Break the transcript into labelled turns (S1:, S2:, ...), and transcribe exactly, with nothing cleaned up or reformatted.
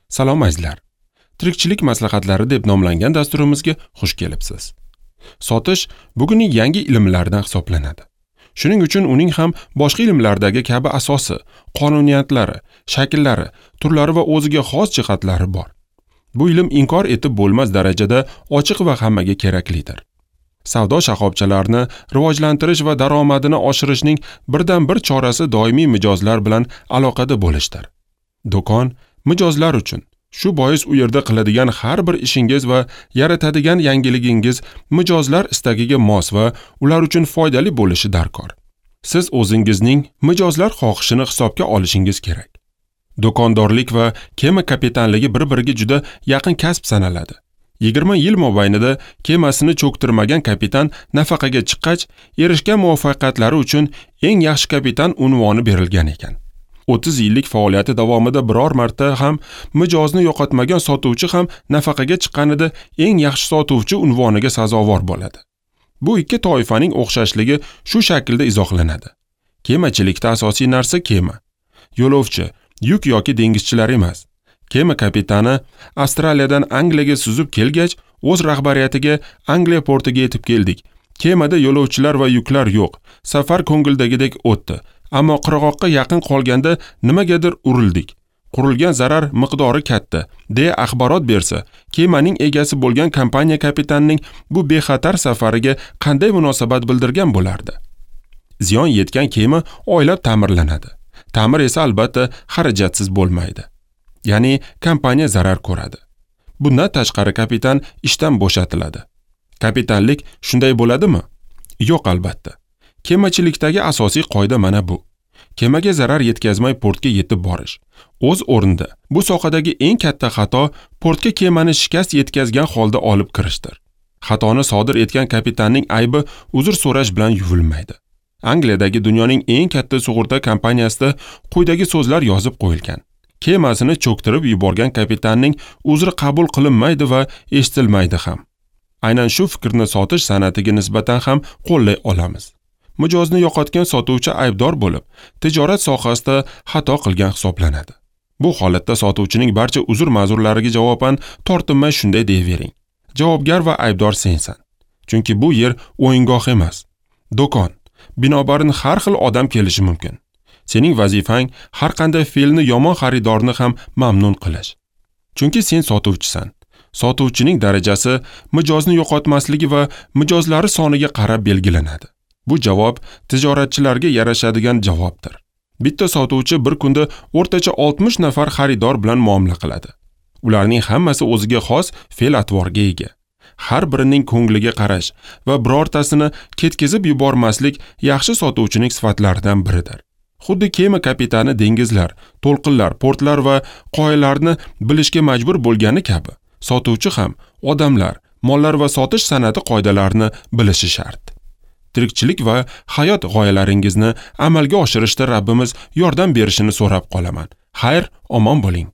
S1: Salom azizlar. Tirikchilik maslahatlari deb nomlangan dasturimizga xush kelibsiz. Sotish bugunning yangi ilmlaridan hisoblanadi. Shuning uchun uning ham boshqa ilmlardagi kabi asosi, qonuniyatlari, shakllari, turlari va o'ziga xos jihatlari bor. Bu ilm inkor etib bo'lmas darajada ochiq va hammaga keraklidir. Savdo shoxobchalarini rivojlantirish va daromadini oshirishning birdan-bir chorasi doimiy mijozlar bilan aloqada bo'lishdir. Do'kon mijozlar uchun. Shu bois u yerda qiladigan har bir ishingiz va yaratadigan yangiligingiz mijozlar istagiga mos va ular uchun foydali bo'lishi darkor. Siz o'zingizning mijozlar xohishini hisobga olishingiz kerak. Do'kondorlik va kema kapitanligi bir-biriga juda yaqin kasb sanaladi. yigirma yil mobaynida kemasini cho'ktirmagan kapitan nafaqaga chiqqach, erishgan muvaffaqiyatlari uchun eng yaxshi kapitan unvoni berilgan ekan. o'ttiz yillik faoliyati davomida biror marta ham mijozni yo'qotmagan sotuvchi ham nafaqaga chiqqanida eng yaxshi sotuvchi unvoniga sazovor bo'ladi. Bu ikki toifaning o'xshashligi shu shaklda izohlanadi. Kemachilikda asosiy narsa kema. Yo'lovchi, yuk yoki dengizchilar emas. Kema kapitani Avstraliyadan Angliyaga suzib kelgach, o'z rahbariyatiga Angliya portiga yetib keldik. Kemada yo'lovchilar va yuklar yo'q. Safar ko'ngildagidek o'tdi. Ammo qirg'oqqa yaqin qolganda nimagadir urildik. Qurilgan zarar miqdori katta, deya axborot bersa, kemaning egasi bo'lgan kompaniya kapitanining bu bexatar safariga qanday munosabat bildirgan bo'lardi? Ziyon yetgan kema oylab ta'mirlanadi. Ta'mir esa albatta xarajatsiz bo'lmaydi. Ya'ni kompaniya zarar ko'radi. Bundan tashqari kapitan ishdan bo'shatiladi. Kapitanlik shunday bo'ladimi? Yo'q albatta. Kemachilikdagi asosiy qoida mana bu. Kemaga zarar yetkazmay portga yetib borish. O'z o'rnida bu sohadagi eng katta xato portga kemani shikast yetkazgan holda olib kirishdir. Xatoni sodir etgan kapitanning aybi uzr so'rash bilan yuvilmaydi. Angliyadagi dunyoning eng katta sug'urta kompaniyasida quyidagi so'zlar yozib qo'yilgan. Kemasini cho'ktirib yuborgan kapitanning uzri qabul qilinmaydi va eshitilmaydi ham. Aynan shu fikrni sotish san'atiga nisbatan ham qo'llay olamiz. Mijozni yo'qotgan sotuvchi aybdor bo'lib, tijorat sohasida xato qilgan hisoblanadi. Bu holatda sotuvchining barcha uzr-ma'zurlariga javoban tortinmay shunday deyvering: javobgar va aybdor sensan. Chunki bu yer o'yingoh emas, do'kon. Binobarin har xil odam kelishi mumkin. Sening vazifang har qanday fe'lni yomon xaridorni ham mamnun qilish. Chunki sen sotuvchisan. Sotuvchining darajasi mijozni yo'qotmasligi va mijozlari soniga qarab belgilanadi. Bu javob tijoratchilarga yarashadigan javobdir. Bitta sotuvchi bir kunda o'rtacha oltmish nafar xaridor bilan muomala qiladi. Ularning hammasi o'ziga xos fe'l-atvorga ega. Har birining ko'ngliga qarash va birortasini ketkizib yubormaslik yaxshi sotuvchining sifatlaridan biridir. Xuddi kema kapitani dengizlar, to'lqinlar, portlar va qoyalarni bilishga majbur bo'lgani kabi, sotuvchi ham odamlar, mollar va sotish san'ati qoidalarini bilishi shart. Tirikchilik va hayot g'oyalaringizni amalga oshirishda Rabbimiz yordam berishini so'rab qolaman. Xayr, omon bo'ling.